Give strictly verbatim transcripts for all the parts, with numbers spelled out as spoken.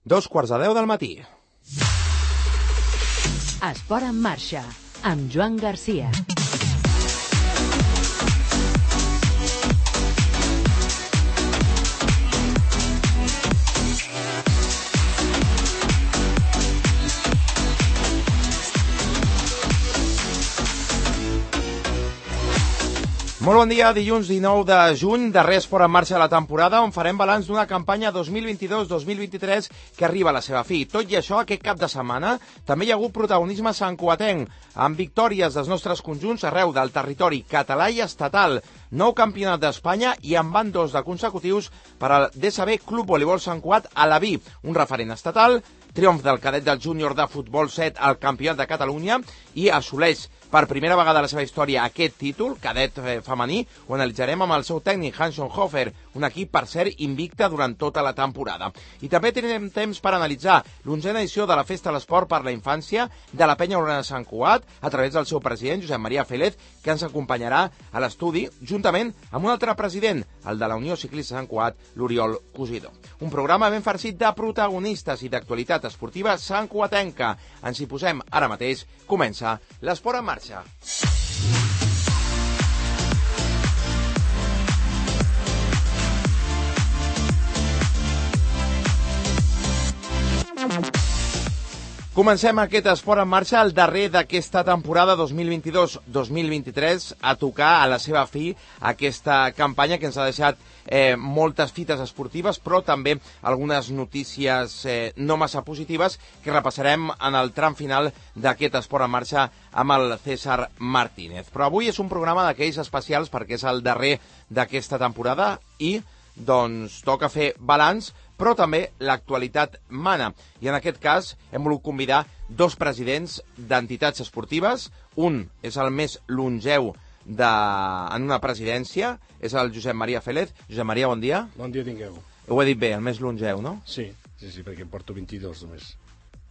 Dos quarts de deu del matí. Esport en marxa, amb Joan Garcia. Molt bon dia, dilluns dinou de juny, darrer esport en marxa de la temporada, on farem balanç d'una campanya dos mil vint-i-dos dos mil vint-i-tres que arriba a la seva fi. Tot i això, aquest cap de setmana també hi ha hagut protagonisme santcugatenc, amb victòries dels nostres conjunts arreu del territori català i estatal, nou campionat d'Espanya i en van dos de consecutius per al D S B Club Voleibol Sant Cugat a la Vi, un referent estatal, triomf del cadet del júnior de futbol set al Campionat de Catalunya i assoleix per primera vegada a la seva història aquest títol, cadet femení, ho analitzarem amb el seu tècnic Hanson Hofer, un equip, per cert, invicte durant tota la temporada. I també tindrem temps per analitzar l'onzena edició de la Festa de l'Esport per la Infància de la Penya Urana Sant Cugat, a través del seu president, Josep Maria Félez, que ens acompanyarà a l'estudi, juntament amb un altre president, el de la Unió Ciclista Sant Cugat, l'Oriol Cosidó. Un programa ben farcit de protagonistes i d'actualitat esportiva santcugatenca. Ens hi posem ara mateix. Comença l'Esport en marxa. Comencem aquest esport en marxa, el darrer d'aquesta temporada dos mil vint-i-dos dos mil vint-i-tres, a tocar a la seva fi aquesta campanya que ens ha deixat eh, moltes fites esportives, però també algunes notícies eh, no massa positives que repassarem en el tram final d'aquest esport en marxa amb el César Martínez. Però avui és un programa d'aquells especials perquè és el darrer d'aquesta temporada i doncs toca fer balanç, però també l'actualitat mana. I en aquest cas hem volgut convidar dos presidents d'entitats esportives. Un és el més longeu de... en una presidència, és el Josep Maria Félez. Josep Maria, bon dia. Bon dia tingueu. Ho he dit bé, el més longeu, no? Sí, sí, sí, perquè em porto vint-i-dos només.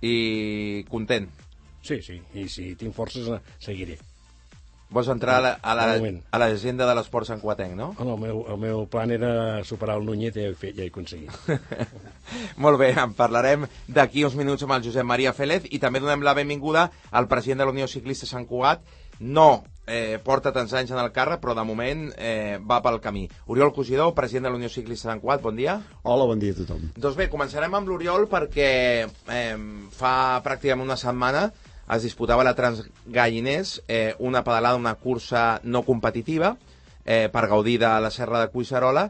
I content? Sí, sí, i si tinc forces seguiré. Vols entrar a la, a la, a l'agenda de l'esport santcugatenc, no? Oh, no, el meu, el meu plan era superar el Núñez i ja he, ja he aconseguit. Molt bé, en parlarem d'aquí uns minuts amb el Josep Maria Félez i també donem la benvinguda al president de la Unió Ciclista Sant Cugat. No eh, porta tants anys en el càrrec, però de moment eh, va pel camí. Oriol Cosidó, president de la Unió Ciclista Sant Cugat, bon dia. Hola, bon dia a tothom. Doncs bé, començarem amb l'Oriol perquè eh, fa pràcticament una setmana es disputava la Transgalliners, eh, una pedalada, una cursa no competitiva, eh, per gaudir de la Serra de Collserola,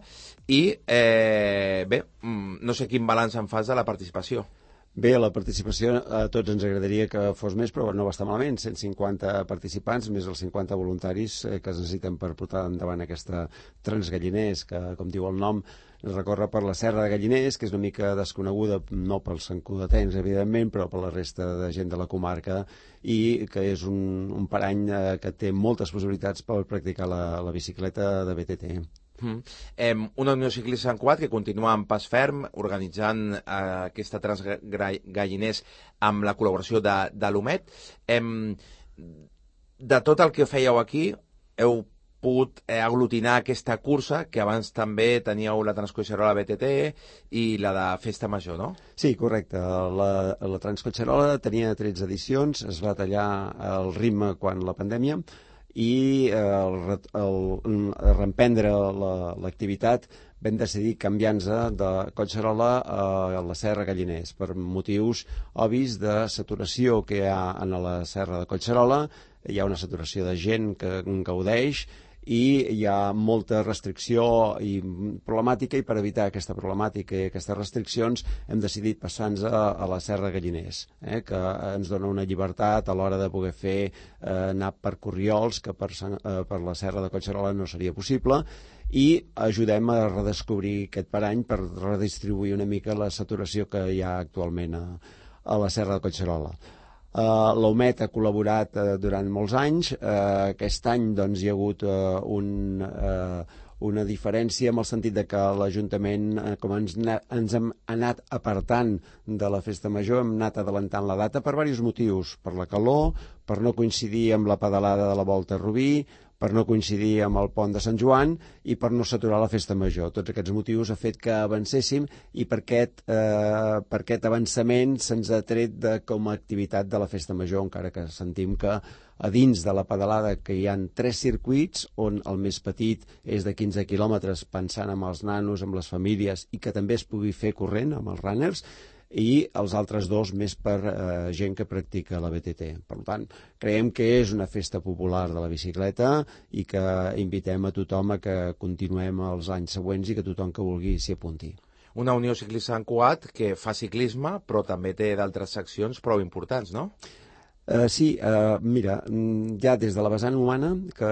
i eh, bé, no sé quin balanç en fas de la participació. Bé, la participació a tots ens agradaria que fos més, però no va estar malament. cent cinquanta participants, més els cinquanta voluntaris eh, que es necessiten per portar endavant aquesta Transgalliners, que, com diu el nom, recorre per la Serra de Galliners, que és una mica desconeguda, no pels santcugatencs, evidentment, però per la resta de gent de la comarca, i que és un, un parany eh, que té moltes possibilitats per practicar la, la bicicleta de B T T. Mm. Eh, una Unió Ciclista Sant Cugat que continua en pas ferm, organitzant eh, aquesta Transgalliners amb la col·laboració de, de l'Umet. Eh, de tot el que fèieu aquí, heu pogut eh, aglutinar aquesta cursa, que abans també teníeu la Transcoixerola B T T i la de Festa Major, no? Sí, correcte. La, la Transcoixerola tenia tretze edicions, es va tallar el ritme quan la pandèmia, i eh, el, el, el reemprendre l'activitat la, vam decidir canviar-nos de Collserola a la Serra Galliners per motius obvis de saturació que hi ha en la Serra de Collserola. Hi ha una saturació de gent que en gaudeix i hi ha molta restricció i problemàtica, i per evitar aquesta problemàtica i aquestes restriccions hem decidit passar-nos a, a la Serra Galliners, eh, que ens dona una llibertat a l'hora de poder fer eh, anar per corriols, que per, eh, per la Serra de Collserola no seria possible, i ajudem a redescobrir aquest parany per redistribuir una mica la saturació que hi ha actualment a, a la Serra de Collserola. Uh, L'Umet ha col·laborat uh, durant molts anys. Uh, aquest any doncs, hi ha hagut uh, un, uh, una diferència en el sentit de que l'Ajuntament, uh, com ens, ens hem anat apartant de la Festa Major, hem anat adelantant la data per diversos motius, per la calor, per no coincidir amb la pedalada de la Volta a Rubí, per no coincidir amb el pont de Sant Joan i per no saturar la festa major. Tots aquests motius ha fet que avancéssim i per aquest, eh, per aquest avançament se'ns ha tret de, com a activitat de la festa major, encara que sentim que a dins de la pedalada que hi ha tres circuits, on el més petit és de quinze quilòmetres, pensant en els nanos, amb les famílies, i que també es pugui fer corrent amb els runners, i els altres dos més per eh, gent que practica la B T T. Per tant, creiem que és una festa popular de la bicicleta i que invitem a tothom a que continuem els anys següents i que tothom que vulgui s'hi apunti. Una Unió Ciclista Sant Cugat que fa ciclisme, però també té d'altres seccions prou importants, no? Uh, sí, uh, mira, ja des de la vessant humana, que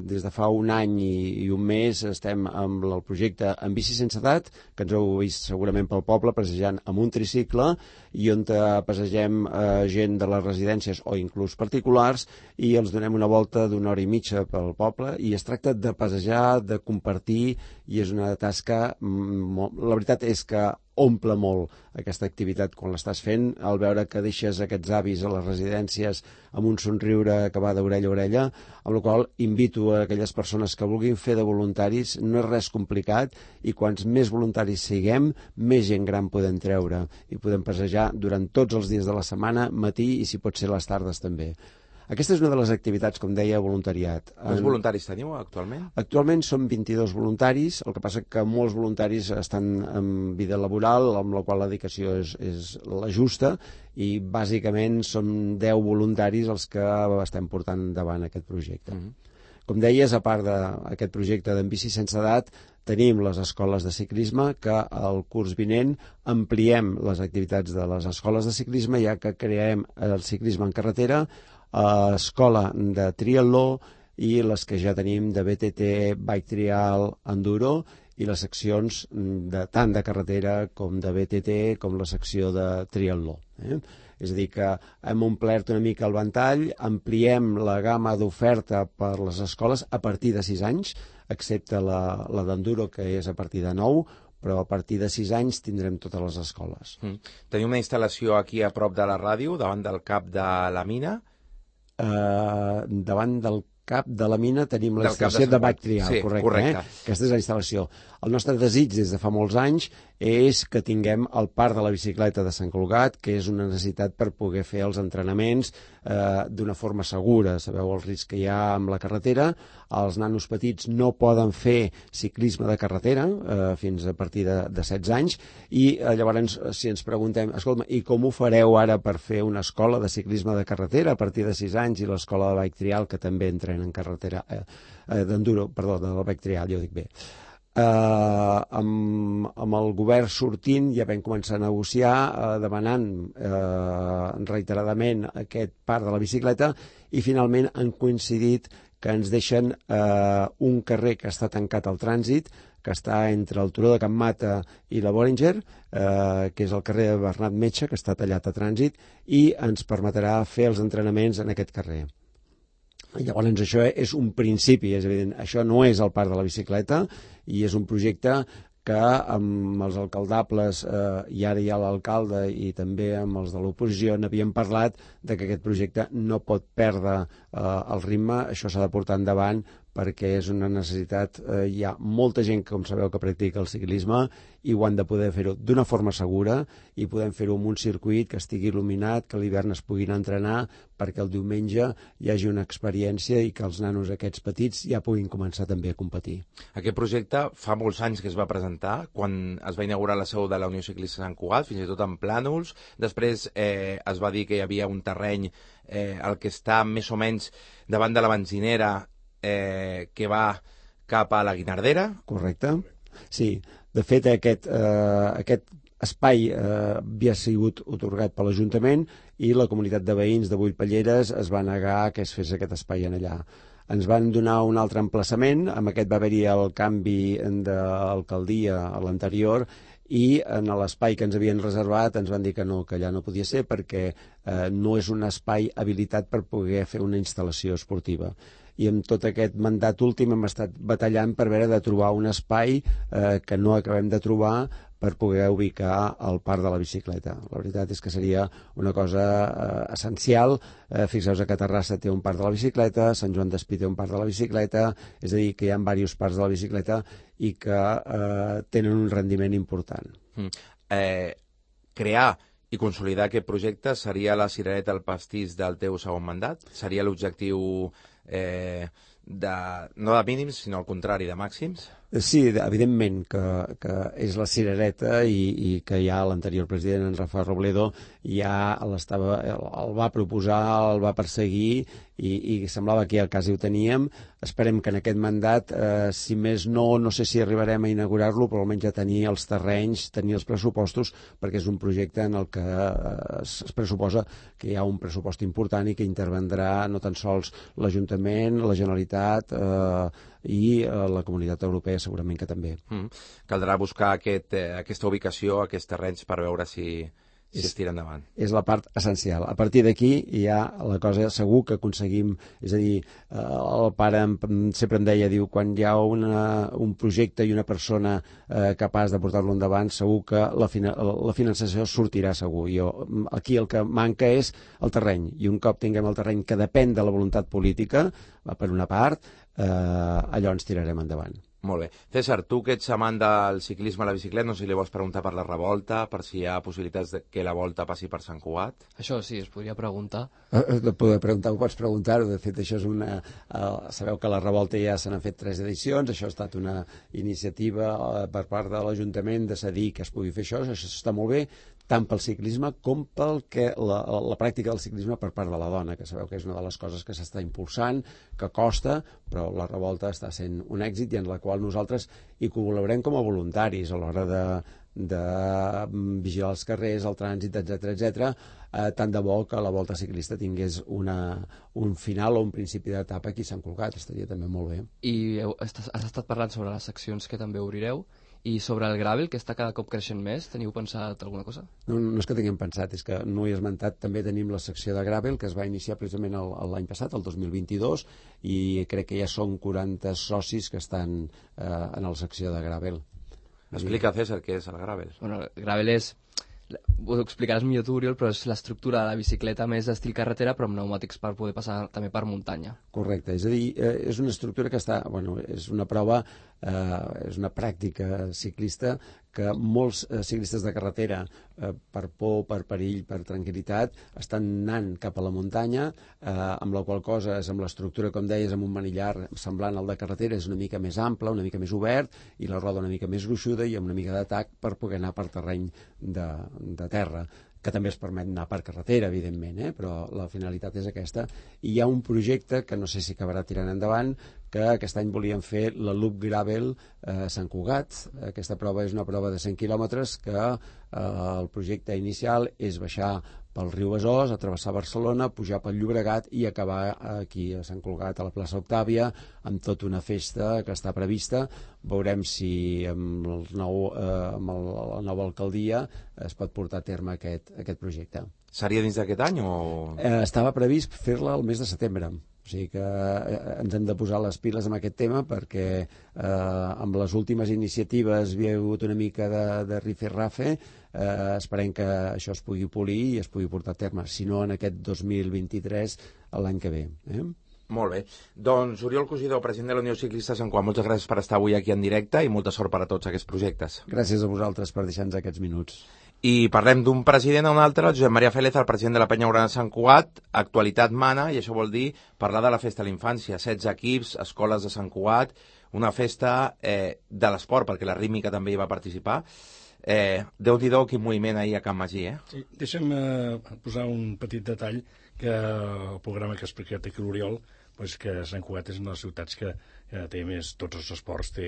des de fa un any i, i un mes estem amb el projecte En Bici Sense Edat, que ens heu vist segurament pel poble passejant amb un tricicle i on passegem uh, gent de les residències o inclús particulars i els donem una volta d'una hora i mitja pel poble i es tracta de passejar, de compartir i és una tasca, molt... la veritat és que omple molt aquesta activitat quan l'estàs fent, al veure que deixes aquests avis a les residències amb un somriure que va d'orella a orella, amb la qual invito a aquelles persones que vulguin fer de voluntaris, no és res complicat i quants més voluntaris siguem, més gent gran podem treure i podem passejar durant tots els dies de la setmana, matí i si pot ser les tardes també. Aquesta és una de les activitats, com deia, voluntariat. Quants voluntaris teniu actualment? Actualment som vint-i-dos voluntaris, el que passa que molts voluntaris estan en vida laboral, amb la qual la dedicació és, és la justa, i bàsicament som deu voluntaris els que estem portant endavant aquest projecte. Mm-hmm. Com deies, a part d'aquest projecte d'En Bici Sense Edat, tenim les escoles de ciclisme que el curs vinent ampliem les activitats de les escoles de ciclisme, ja que creem el ciclisme en carretera, a escola de triatló i les que ja tenim de B T T, bike trial, enduro i les seccions de, tant de carretera com de B T T com la secció de triatló. Eh? És a dir, que hem omplert una mica el ventall, ampliem la gamma d'oferta per les escoles a partir de sis anys, excepte la, la d'enduro, que és a partir de nou, però a partir de sis anys tindrem totes les escoles. Mm. Tenim una instal·lació aquí a prop de la ràdio, davant del cap de la mina. Uh, davant del cap de la mina tenim la instal·lació de, de bike trial, sí, correcte, correcte. Eh? Aquesta és la instal·lació. El nostre desig des de fa molts anys és que tinguem el parc de la bicicleta de Sant Cugat, que és una necessitat per poder fer els entrenaments eh, d'una forma segura. Sabeu el risc que hi ha amb la carretera. Els nanos petits no poden fer ciclisme de carretera eh, fins a partir de, de setze anys i eh, llavors si ens preguntem, escolta, i com ho fareu ara per fer una escola de ciclisme de carretera a partir de sis anys i l'escola de bike trial, que també entrenen en carretera eh, eh, d'enduro, perdó, de la bike trial, jo dic bé. Uh, amb, amb el govern sortint ja vam començar a negociar uh, demanant uh, reiteradament aquest parc de la bicicleta i finalment han coincidit que ens deixen uh, un carrer que està tancat al trànsit, que està entre el Turó de Can Mata i la Borenger, uh, que és el carrer de Bernat Metge, que està tallat a trànsit, i ens permetrà fer els entrenaments en aquest carrer. Llavors això és un principi, és evident, això no és el parc de la bicicleta i és un projecte que amb els alcaldables, eh, i ara hi ha l'alcalde i també amb els de l'oposició n'havíem parlat de que aquest projecte no pot perdre eh, el ritme, això s'ha de portar endavant perquè és una necessitat, eh, hi ha molta gent, com sabeu, que practica el ciclisme i ho han de poder fer-ho d'una forma segura i podem fer-ho amb un circuit que estigui il·luminat, que a l'hivern es puguin entrenar perquè el diumenge hi hagi una experiència i que els nanos aquests petits ja puguin començar també a competir. Aquest projecte fa molts anys que es va presentar, quan es va inaugurar la seu de la Unió Ciclista Sant Cugat, fins i tot en plànols. Després eh, es va dir que hi havia un terreny eh, el que està més o menys davant de la benzinera eh, que va cap a la Guinardera. Correcte. Sí, de fet aquest, eh, aquest espai eh, havia sigut otorgat per l'Ajuntament i la comunitat de veïns de Bullpelleres es va negar que es fes aquest espai en allà. Ens van donar un altre emplaçament, amb aquest va haver-hi el canvi d'alcaldia a l'anterior i en l'espai que ens havien reservat ens van dir que no, que allà no podia ser perquè eh, no és un espai habilitat per poder fer una instal·lació esportiva. I amb tot aquest mandat últim hem estat batallant per veure de trobar un espai eh, que no acabem de trobar per poder ubicar el parc de la bicicleta. La veritat és que seria una cosa eh, essencial. Eh, Fixeu-vos que Terrassa té un parc de la bicicleta, Sant Joan d'Espí té un parc de la bicicleta, és a dir, que hi ha diversos parcs de la bicicleta i que eh, tenen un rendiment important. Mm. Eh, crear i consolidar aquest projecte seria la cirereta al pastís del teu segon mandat? Seria l'objectiu eh, de, no de mínims, sinó al contrari, de màxims? Sí, evidentment que, que és la cirereta i, i que ja l'anterior president, en Rafa Robledo, ja l'estava, el, el va proposar, el va perseguir i, i semblava que ja quasi ho teníem. Esperem que en aquest mandat, eh, si més no, no sé si arribarem a inaugurar-lo, però almenys ja tenir els terrenys, tenir els pressupostos, perquè és un projecte en el que eh, es, es pressuposa que hi ha un pressupost important i que intervendrà no tan sols l'Ajuntament, la Generalitat eh, i eh, la Comunitat Europea segurament que també. Mm. Caldrà buscar aquest, eh, aquesta ubicació, aquests terrenys per veure si, si és, es tira endavant. És la part essencial. A partir d'aquí ja la cosa segur que aconseguim, és a dir, eh, el pare em, sempre em deia, diu, quan hi ha una, un projecte i una persona eh, capaç de portar-lo endavant, segur que la, fina, la finançació sortirà segur. Jo, aquí el que manca és el terreny, i un cop tinguem el terreny que depèn de la voluntat política, per una part, eh, allò ens tirarem endavant. Molt bé. César, tu que ets amant del ciclisme a la bicicleta, no sé si li vols preguntar per la revolta, per si hi ha possibilitats de que la volta passi per Sant Cugat? Això sí, es podria preguntar. Eh, de poder preguntar, ho pots preguntar-ho. De fet, això és una... Eh, sabeu que a la revolta ja se n'han fet tres edicions, això ha estat una iniciativa eh, per part de l'Ajuntament de cedir que es pugui fer això, això està molt bé, tant pel ciclisme com pel que la, la pràctica del ciclisme per part de la dona, que sabeu que és una de les coses que s'està impulsant, que costa, però la revolta està sent un èxit i en la qual nosaltres hi col·laborem com a voluntaris a l'hora de, de vigilar els carrers, el trànsit, etcètera, etcètera. Eh, tant de bo que la volta ciclista tingués una, un final o un principi d'etapa aquí a Sant Cugat, estaria també molt bé. I heu, has estat parlant sobre les seccions que també obrireu, i sobre el gravel, que està cada cop creixent més, teniu pensat alguna cosa? No, no és que tinguem pensat, és que no hi he esmentat, també tenim la secció de gravel, que es va iniciar precisament l'any passat, el dos mil vint-i-dos, i crec que ja són quaranta socis que estan eh, en la secció de gravel. Explica, César, què és el gravel. Bueno, el gravel és... Ho explicaràs millor tu, Oriol, però és l'estructura de la bicicleta més d'estil carretera, però amb pneumàtics per poder passar també per muntanya. Correcte, és a dir, eh, és una estructura que està, bueno, és una prova, eh, és una pràctica ciclista que molts eh, ciclistes de carretera, eh, per por, per perill, per tranquil·litat, estan anant cap a la muntanya, eh, amb la qual cosa és amb l'estructura, com deies, amb un manillar semblant al de carretera, és una mica més ample, una mica més obert, i la roda una mica més gruixuda i amb una mica d'atac per poder anar per terreny de, de terra, que també es permet anar per carretera, evidentment, eh? Però la finalitat és aquesta. I hi ha un projecte que no sé si acabarà tirant endavant, que aquest any volíem fer la Loop Gravel a Sant Cugat. Aquesta prova és una prova de cent quilòmetres que eh, el projecte inicial és baixar pel riu Besòs, a travessar Barcelona, pujar pel Llobregat i acabar aquí a Sant Cugat, a la plaça Octàvia, amb tota una festa que està prevista. Veurem si amb, el nou, eh, amb el, la nova alcaldia es pot portar a terme aquest, aquest projecte. Seria dins d'aquest any o...? Eh, estava previst fer-la el mes de setembre. O sigui que eh, ens hem de posar les piles amb aquest tema perquè eh, amb les últimes iniciatives hi ha hagut una mica de, de rife-rafe. Eh, esperem que això es pugui polir i es pugui portar a terme, si no en aquest dos mil vint-i-tres, l'any que ve. Eh? Molt bé. Doncs Oriol Cosidó, president de la Unió Ciclista Sant Cugat, moltes gràcies per estar avui aquí en directe i molta sort per a tots aquests projectes. Gràcies a vosaltres per deixar-nos aquests minuts. I parlem d'un president a un altre, Josep Maria Félez, el president de la Penya Urana Sant Cugat. Actualitat mana, i això vol dir parlar de la festa de la infància. setze equips, escoles de Sant Cugat, una festa eh, de l'esport, perquè la rítmica també hi va participar. Eh, Déu-n'hi-do, quin moviment ahir a Can Magí, eh? Sí, deixa'm eh, posar un petit detall, que el programa que ha explicat aquí l'Oriol, pues que Sant Cugat és una de les ciutats que eh, té més, tots els esports té,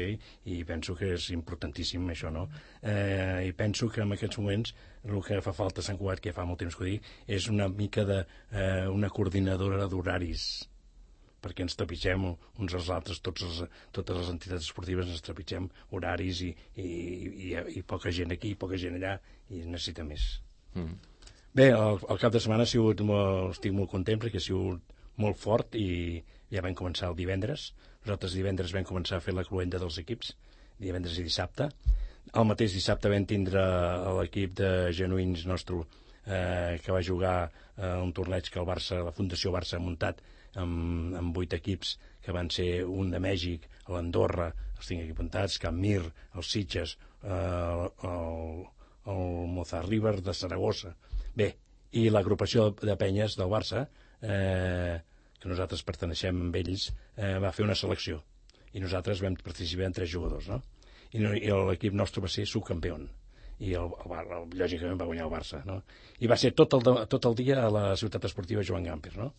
i penso que és importantíssim això, no? Eh, I penso que en aquests moments el que fa falta a Sant Cugat, que fa molt temps que ho dic, és una mica de eh, una coordinadora d'horaris, perquè ens trepitgem uns als altres, tots els, totes les entitats esportives ens trepitgem horaris i, i, i, i poca gent aquí, poca gent allà, i necessita més. Mm. Bé, el, el cap de setmana ha sigut molt, estic molt content perquè ha sigut molt fort i ja vam començar el divendres. Nosaltres divendres vam començar a fer la cloenda dels equips, divendres i dissabte. El mateix dissabte vam tindre l'equip de genuïns nostre eh, que va jugar eh, un torneig que el Barça, la Fundació Barça ha muntat amb, amb vuit equips, que van ser un de Mèxic, l'Andorra, els tinc aquí apuntats, Can Mir, els Sitges, eh, el, el Mozart River de Saragossa. Bé, i l'agrupació de penyes del Barça, eh, que nosaltres perteneixem amb ells, eh, va fer una selecció. I nosaltres vam participar en tres jugadors, no? I, no, i l'equip nostre va ser subcampió. I el, el, el, lògicament va guanyar el Barça, no? I va ser tot el, tot el dia a la ciutat esportiva Joan Gamper, no?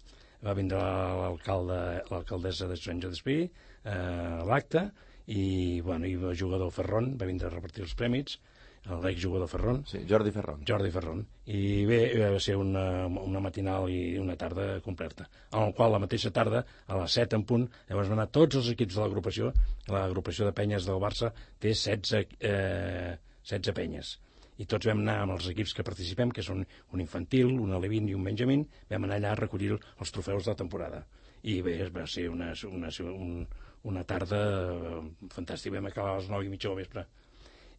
Va vindre l'alcalde, l'alcaldessa de Sant Joan eh, a l'acte, i, bueno, i el jugador Ferron va vindre a repartir els prèmits, l'exjugador Ferron. Sí, Jordi Ferron. Jordi Ferron. I bé, va ser una, una matinal i una tarda completa, en el qual la mateixa tarda, a les set en punt, llavors van anar tots els equips de l'agrupació. L'agrupació de penyes del Barça té setze, eh, setze penyes. I tots vam anar amb els equips que participem, que són un infantil, un alevin i un benjamín, vam anar allà a recollir els trofeus de la temporada. I bé, va ser una, una, una, una tarda fantàstica. Vam acabar a les nou i mitja del vespre.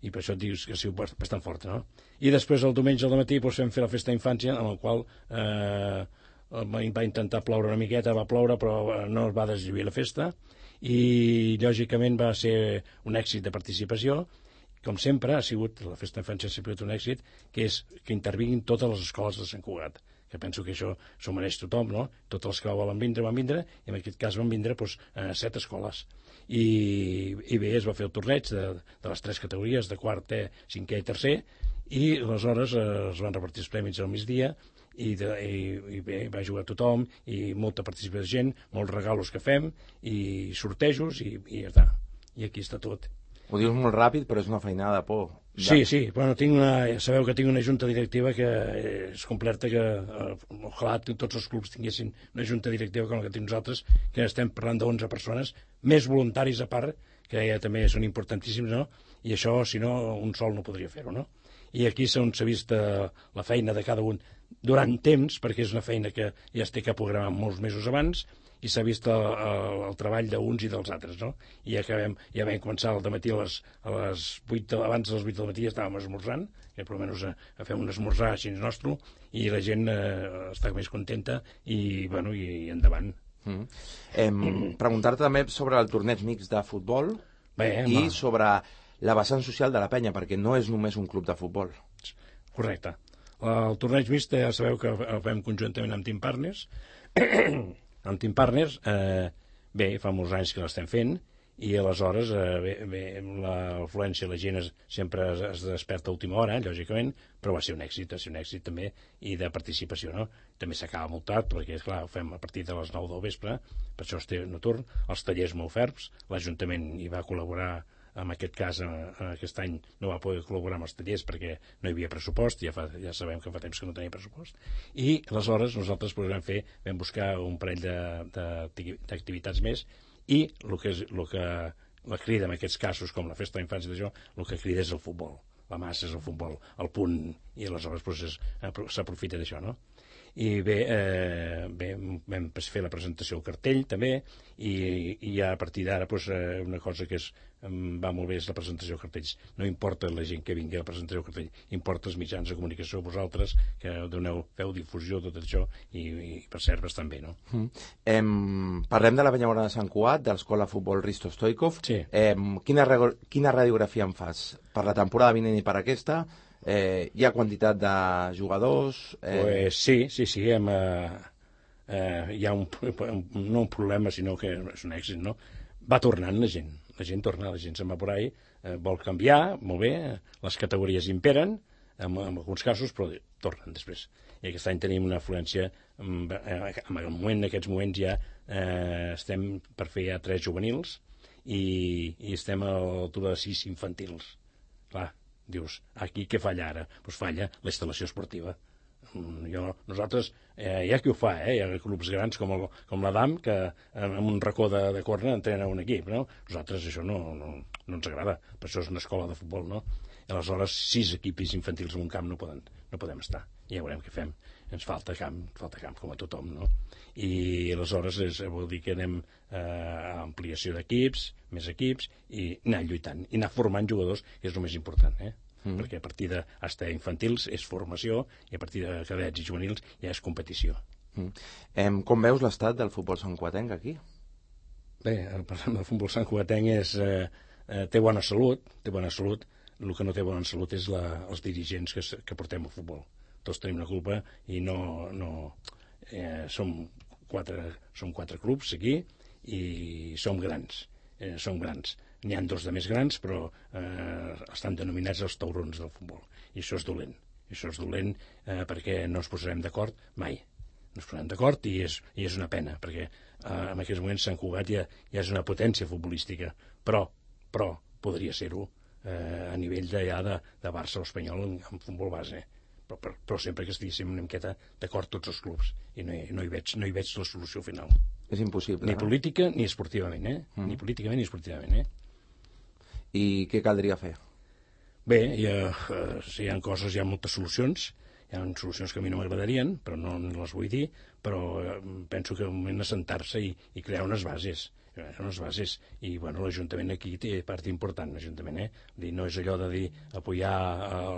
I per això et dius que ha sigut bastant forta, no? I després el diumenge al matí doncs, vam fer la festa d'infància, en la qual eh, va intentar ploure una miqueta, va ploure, però no es va deslluir la festa, i lògicament va ser un èxit de participació. Com sempre ha sigut, la festa d'infància ha sigut un èxit, que és que intervinguin totes les escoles de Sant Cugat, que penso que això s'ho mereix tothom, no? Totes les que volen vindre van vindre, i en aquest cas van vindre doncs, a set escoles. I, i bé, es va fer el torneig de, de les tres categories, de quart, cinquè i tercer, i aleshores eh, es van repartir els prèmits al migdia, i, de, i, i bé, va jugar tothom, i molta participació de gent, molts regalos que fem, i sortejos, i, i ja està. I aquí està tot. Ho dius molt ràpid, però és una feinada de por. Sí, sí, bueno, tinc una, sabeu que tinc una junta directiva que és completa, que eh, ojalà tots els clubs tinguessin una junta directiva com la que tenim nosaltres, que estem parlant d'onze persones, més voluntaris a part, que ja també són importantíssims, no? I això, si no, un sol no podria fer-ho, no? I aquí s'ha vist eh, la feina de cada un durant temps, perquè és una feina que ja es té que programar molts mesos abans, i s'ha vist el, el, el treball d'uns i dels altres, no? I ja, acabem, ja vam començar al dematí a les, a les vuit, abans de les vuit del matí ja estàvem esmorzant, que per almenys a, a fer un esmorzar així nostre, i la gent eh, està més contenta, i, bueno, i, i endavant. Mm. Eh, Preguntar-te també sobre el torneig mix de futbol. Bé, i home. Sobre la vessant social de la penya, perquè no és només un club de futbol. Correcte. El torneig mixt ja sabeu que el fem conjuntament amb Team Partners. Amb Team Partners, eh, bé, fa molts anys que l'estem fent, i aleshores eh, bé, bé, l'afluència, la gent es, sempre es, es desperta a última hora, lògicament, però va ser un èxit, va ser un èxit també, i de participació, no? També s'acaba molt tard, perquè, esclar, ho fem a partir de les nou del vespre, per això es té nocturn, els tallers molt ferms, l'Ajuntament hi va col·laborar. En aquest cas, aquest any no va poder col·laborar amb els tallers perquè no hi havia pressupost, ja, fa, ja sabem que fa temps que no tenia pressupost, i aleshores nosaltres vam fer, vam buscar un parell d'activitats més, i el que, és, el que la crida en aquests casos, com la festa d'infància d'això, el que crida és el futbol, la massa és el futbol, el punt, i aleshores doncs, s'aprofita d'això, no? I bé, eh, bé, vam fer la presentació al cartell també, i, i ja a partir d'ara doncs, eh, una cosa que és, va molt bé és la presentació de cartells. No importa la gent que vingui a la presentació de cartell, importa els mitjans de comunicació, vosaltres que doneu, feu difusió tot això, i, i per cert bastant bé, no? Mm. Em, parlem de la Penyamora de Sant Cugat, de l'Escola Futbol Risto Stoikov. Sí. Em, quina, quina radiografia em fas per la temporada vinent i per aquesta? Eh, hi ha quantitat de jugadors? Eh... Pues sí, sí, sí, hem, eh, eh, hi ha un, un, no un problema, sinó que és un èxit, no? Va tornant la gent, la gent torna, la gent se'n va por ahí, eh, vol canviar, molt bé, les categories imperen, en, en alguns casos, però tornen després. I aquest any tenim una afluència, en, en, el moment, en aquests moments ja eh, estem per fer ja tres juvenils, i, i estem a l'altura de sis infantils. Clar, dius, aquí què falla ara? Doncs falla la instal·lació esportiva. Jo, nosaltres, eh, hi ha qui ho fa, eh? Hi ha clubs grans com, el, com l'Adam, que en un racó de, de corna entrena un equip, no? Nosaltres això no, no, no ens agrada, per això és una escola de futbol, no? I aleshores, sis equips infantils en un camp no, poden, no podem estar, i ja veurem què fem. Ens falta camp, falta camp com a tothom, no? I aleshores és, vol dir que anem eh, a ampliació d'equips, més equips, i anar lluitant, i anar formant jugadors, que és el més important, eh? Mm. Perquè a partir de hasta infantils és formació i a partir de cadets i juvenils ja és competició. Mm. Eh, com veus l'estat del futbol santcugatenc aquí? Bé, el, el futbol santcugatenc és, eh, eh, té bona salut, té bona salut, el que no té bona salut és la, els dirigents que, que portem al futbol. Tots tenim una culpa i no... no eh, som, quatre, som quatre clubs aquí i som grans, eh, som grans. N'hi ha dos de més grans, però eh, estan denominats els taurons del futbol. I això és dolent. I això és dolent eh, perquè no ens posarem d'acord mai. No ens posarem d'acord i, és, i és una pena, perquè eh, en aquests moments Sant Cugat ja, ja és una potència futbolística, però, però podria ser-ho eh, a nivell d'allà de, de Barça o Espanyol en, en futbol base. Però, però, però sempre que estiguéssim una miqueta d'acord tots els clubs i no hi, no hi, veig, no hi veig la solució final. És impossible. Ni eh? política ni esportivament, eh? Mm. Ni políticament ni esportivament, eh? I què caldria fer? Bé, hi ha, eh, si hi ha coses, hi ha moltes solucions, hi ha solucions que a mi no m'agradarien, però no les vull dir, però eh, penso que és un moment assentar-se i, i crear unes bases, unes bases, i bueno, l'Ajuntament aquí té part important, l'Ajuntament, eh? Dir, no és allò de dir, apoyar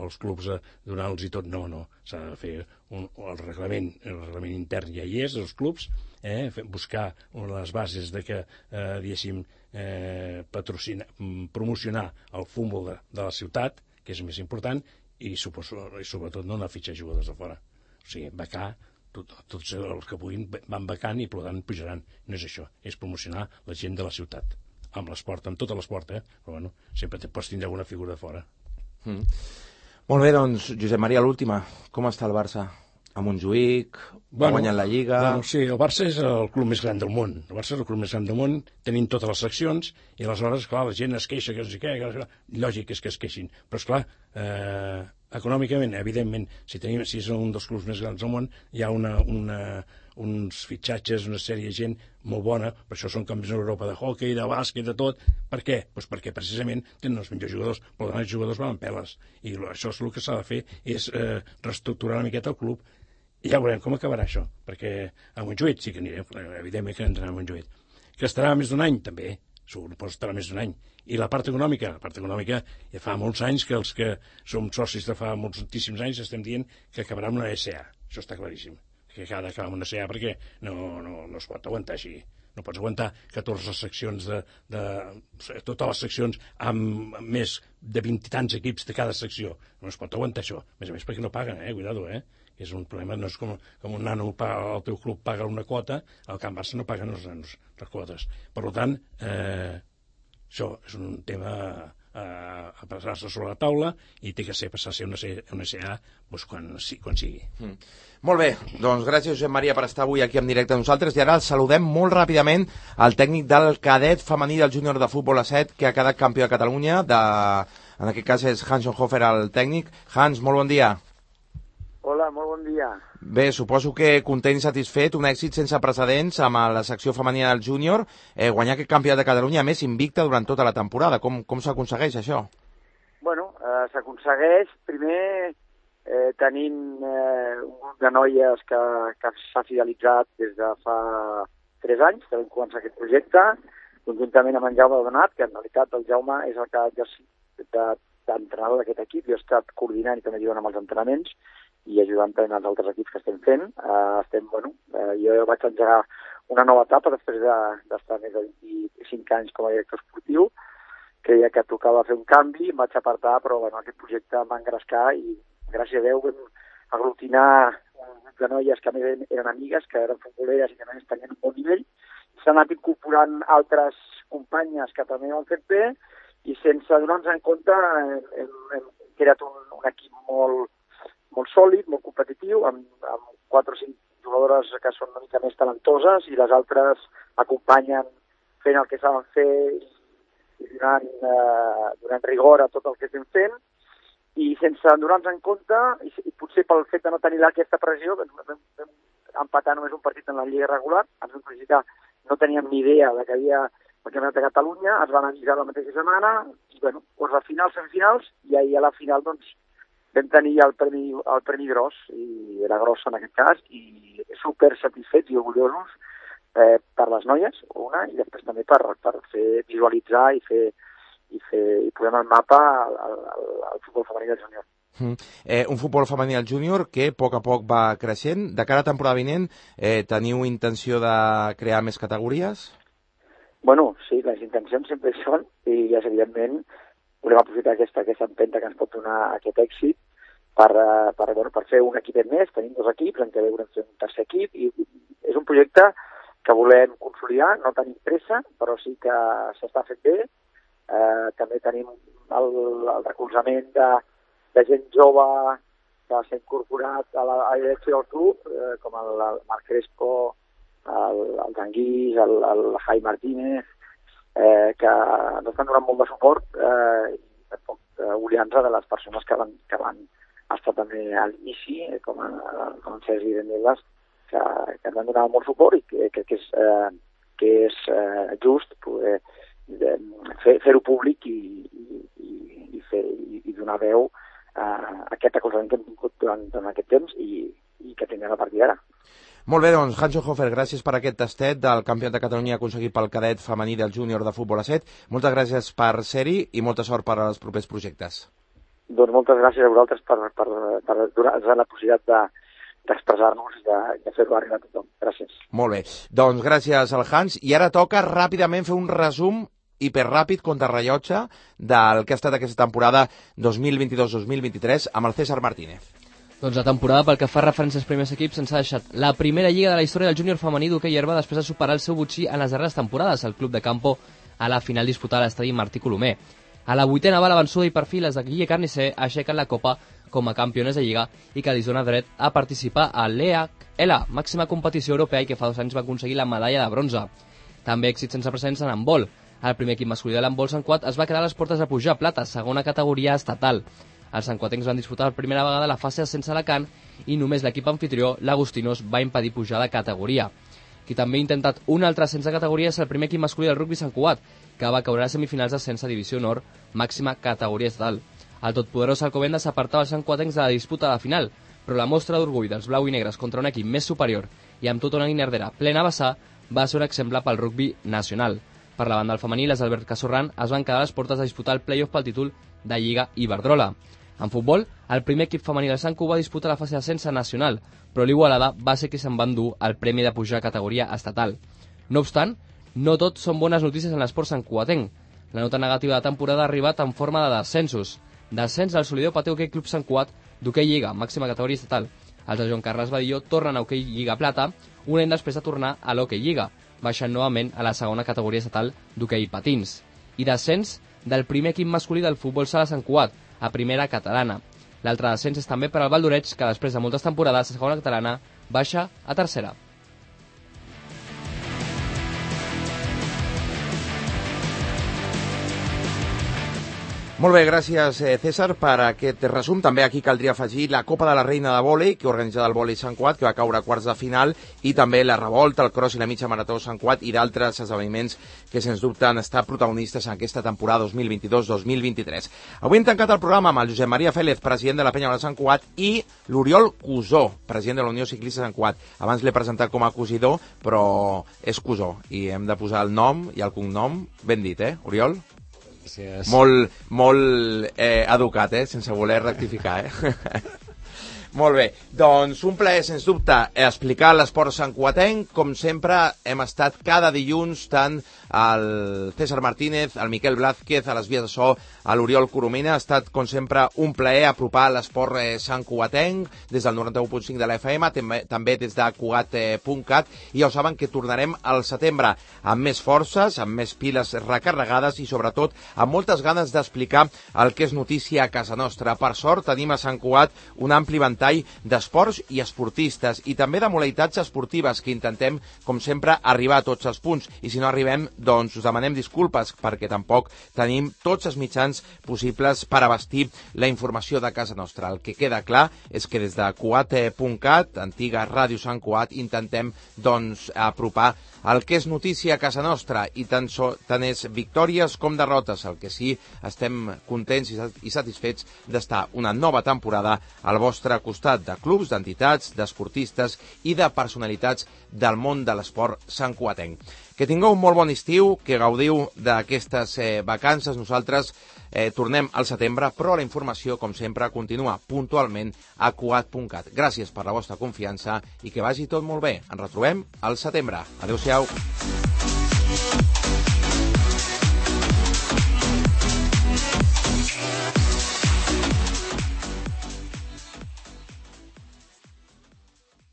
els clubs, donar-los i tot, no, no, s'ha de fer un, el reglament, el reglament intern ja hi és, els clubs, eh? buscar les bases de que, eh, diguéssim, eh, patrocinar, promocionar el futbol de, de la ciutat, que és més important, i, suposo, i sobretot no anar a fitxar jugadors de fora. O sigui, becar, tot, tots els que puguin van becant i per tant pujaran. No és això, és promocionar la gent de la ciutat, amb l'esport, amb tot l'esport, eh? Però bueno, sempre te pots tindre alguna figura de fora. Mm. Molt bé, doncs, Josep Maria, l'última. Com està el Barça? A Montjuïc, bueno, ha guanyat la Lliga... Bueno, sí, el Barça és el club més gran del món. El Barça és el club més gran del món, tenim totes les seccions, i aleshores, clar, la gent es queixa, que no sé què, que... lògic és que es queixin. Però, esclar, eh, econòmicament, evidentment, si, tenim, si és un dels clubs més grans del món, hi ha una, una, uns fitxatges, una sèrie de gent molt bona, per això són campions d'Europa de hockey, de bàsquet, de tot. Per què? Pues perquè precisament tenen els millors jugadors, però els jugadors van amb peles. I això és el que s'ha de fer, és eh, reestructurar una miqueta el club. I ja veurem com acabarà això, perquè a Montjuïc sí que anirem, evidentment que entrem a Montjuïc. Que estarà més d'un any, també, segur que estarà més d'un any. I la part econòmica, la part econòmica, ja fa molts anys que els que som socis de fa moltíssims anys estem dient que acabarà amb una S A, això està claríssim, que ha d'acabar amb una S A perquè no, no, no es pot aguantar així. No pots aguantar catorze seccions de, de... totes les seccions amb més de vint i tants equips de cada secció. No es pot aguantar això. A més a més perquè no paguen, eh? Cuidado, eh? És un problema, no és com, com un nano, el teu club paga una quota, al Camp Barça no paguen els nanos les quotes. Per tant, eh, això és un tema a, a passar-se sobre la taula i té que ser passar a ser una, una S A doncs, quan, quan sigui. Mm. Molt bé, doncs gràcies Josep Maria per estar avui aquí en directe amb nosaltres i ara el saludem molt ràpidament al tècnic del cadet femení del júnior de futbol a set que ha quedat campió de Catalunya, de, en aquest cas és Hans Hofer el tècnic. Hans, molt bon dia. Hola, molt bon dia. Bé, suposo que content i satisfet, un èxit sense precedents amb la secció femenina del júnior, eh, guanyar aquest campionat de Catalunya, a més invicta durant tota la temporada. Com, com s'aconsegueix això? Bueno, eh, s'aconsegueix primer eh, tenint eh, un grup de noies que, que s'ha fidelitzat des de fa tres anys, que vam començar aquest projecte, conjuntament amb en Jaume Donat, que en realitat el Jaume és el que ha exercit d'entrenador d'aquest equip, jo he estat coordinant i també ajudant amb els entrenaments, i ajudant també els altres equips que estem fent. Uh, estem, bueno, uh, jo vaig engegar una nova etapa després d'estar de, més de vint-i-cinc anys com a director esportiu. Creia que tocava fer un canvi, em vaig apartar, però bueno, aquest projecte em va engrescar i gràcies a Déu vam aglutinar un grup de noies que a més eren amigues, que eren futboleres i que a més tenien un bon nivell. S'han anat incorporant altres companyes que també ho han fet bé i sense donar-nos en compte hem, hem, hem creat un, un equip molt molt sòlid, molt competitiu, amb, amb quatre o cinc jugadores que són una mica més talentoses i les altres acompanyen fent el que saben fer i donant, eh, donant rigor a tot el que estem fent. i sense donar-nos en compte, i, i potser pel fet de no tenir aquesta pressió, vam, vam, vam empatar només un partit en la Lliga regular, ens vam felicitar, no teníem ni idea de que havia el Campionat de Catalunya, es van avisar la mateixa setmana, i bueno, doncs a finals, semifinals, i ahir a la final, doncs, vam tenir el premi, el premi gros, i era gros en aquest cas, i super satisfets i orgullosos eh, per les noies, una, i després també per, per fer visualitzar i fer i, fer, i posem al mapa el, el, el futbol femení del júnior. Mm. Eh, un futbol femení del júnior que a poc a poc va creixent. De cara a temporada vinent, eh, teniu intenció de crear més categories? Bueno, sí, les intencions sempre hi són, i ja evidentment volem aprofitar aquesta, aquesta empenta que ens pot donar aquest èxit per, per, bueno, per fer un equipet més. Tenim dos equips, en què volem fer un tercer equip, i és un projecte que volem consolidar, no tenim pressa, però sí que s'està fent bé. Eh, també tenim el, el recolzament de, de gent jove que s'ha incorporat a la, a la direcció del club, eh, com el, el Marc Crespo, el, el Tanguís, el, el Jai Martínez, eh, que ens estan donant molt de suport, eh, i tampoc eh, oblidant-se de les persones que van, que van estar també a l'inici, eh, com, a, com en Sergi Dendelas, que, que ens van donar molt suport i que, que, que és, eh, que és eh, just poder eh, fer-ho públic i, i, i, fer, i, i donar veu a aquest recolzament que hem tingut durant, durant aquest temps i, i que tindrem a partir d'ara. Molt bé, doncs, Hanso Hofer, gràcies per aquest tastet del Campionat de Catalunya aconseguit pel cadet femení del júnior de futbol a set. Moltes gràcies per ser-hi i molta sort per als propers projectes. Doncs moltes gràcies a vosaltres per, per, per donar-nos la possibilitat de, d'expressar-nos i de, de fer-ho arribar a tothom. Gràcies. Molt bé. Doncs gràcies al Hans. I ara toca ràpidament fer un resum hiperràpid contrarrellotge del que ha estat aquesta temporada dos mil vint-i-dos dos mil vint-i-tres amb el César Martínez. Doncs la temporada, pel que fa referència als primers equips, ens ha deixat la primera lliga de la història del júnior femení d'hoquei herba després de superar el seu botxí en les darreres temporades, el Club de Campo a la final disputada a l'estadi Martí Colomer. A la vuitena va la vençuda i per fi les de Guille Carnicer aixequen la Copa com a campiones de lliga i que li dona dret a participar a l'E H L, màxima competició europea, i que fa dos anys va aconseguir la medalla de bronze. També èxit sense precedents en handbol. El primer equip masculí de l'handbol Sant Cuat es va quedar a les portes de pujar a plata, segona categoria estatal. Els santcuatencs van disputar per primera vegada la fase sense Alacant i només l'equip anfitrió, l'Agostinos, va impedir pujar de categoria. Qui també ha intentat un altre ascens de categoria és el primer equip masculí del rugby Sant Cugat, que va caure a les semifinals d'ascens a Divisió Nord, màxima categoria estatal. El totpoderós Alcobendas s'apartava els santcuatencs de la disputa de la final, però la mostra d'orgull dels blau i negres contra un equip més superior i amb tota una guinardera plena a vessar va ser un exemple pel rugby nacional. Per la banda del femení, les Albert Casorran es van quedar a les portes de disputar el play-off pel títol de Lliga Iberdrola. En futbol, el primer equip femení del Sant Cugat va disputar la fase d'ascens nacional, però l'Igualada va ser qui se'n va endur el premi de pujar a categoria estatal. No obstant, no tot són bones notícies en l'esport santcugatenc. La nota negativa de temporada ha arribat en forma de descensos. Descens del Solidor Pateu Hoquei Club Sant Cugat d'hoquei Lliga, màxima categoria estatal. Els de Joan Carles Badilló tornen a hoquei Lliga Plata un any després de tornar a l'hoquei Lliga, baixant novament a la segona categoria estatal d'hoquei Patins. I descens del primer equip masculí del futbol sala Sant Cugat, a primera catalana. L'altre descens és també per al Valdoreig, que després de moltes temporades a segona catalana baixa a tercera. Molt bé, gràcies César per aquest resum. També aquí caldria afegir la Copa de la Reina de Vòlei, que organitza el Vòlei Sant Cugat, que va caure a quarts de final, i també la Revolta, el Cross i la Mitja Marató Sant Cugat i d'altres esdeveniments que sens dubte han estat protagonistes en aquesta temporada dos mil vint-i-dos dos mil vint-i-tres. Avui hem tancat el programa amb el Josep Maria Félez, president de la Penya de Sant Cugat, i l'Oriol Cusó, president de la Unió Ciclista Sant Cugat. Abans l'he presentat com a cosidor, però és Cusó, i hem de posar el nom i el cognom ben dit, eh, Oriol? Gràcies. Molt, molt eh, educat, eh? Sense voler rectificar, eh? Molt bé, doncs un plaer, sens dubte, explicar l'esport santcuatenc. Com sempre, hem estat cada dilluns tant el César Martínez, el Miquel Blázquez, a les vies de so, a l'Oriol Coromina. Ha estat, com sempre, un plaer apropar l'esport eh, santcuatenc des del noranta-u punt cinc de la F M, també, també des de cugat punt cat, i ja ho saben que tornarem al setembre amb més forces, amb més piles recarregades i, sobretot, amb moltes ganes d'explicar el que és notícia a casa nostra. Per sort, tenim a Sant Cugat un ampli ventall ventall d'esports i esportistes i també de modalitats esportives que intentem, com sempre, arribar a tots els punts. I si no arribem, doncs us demanem disculpes perquè tampoc tenim tots els mitjans possibles per abastir la informació de casa nostra. El que queda clar és que des de cuat punt cat, antiga Ràdio Sant Cugat, intentem doncs apropar el que és notícia a casa nostra i tant, so, tant és victòries com derrotes. El que sí, estem contents i satisfets d'estar una nova temporada al vostre costat, de clubs, d'entitats, d'esportistes i de personalitats del món de l'esport santcugatenc. Que tingueu un molt bon estiu, que gaudiu d'aquestes eh, vacances. Nosaltres eh, tornem al setembre, però la informació, com sempre, continua puntualment a cuat punt cat. Gràcies per la vostra confiança i que vagi tot molt bé. Ens retrobem al setembre. Adéu-siau.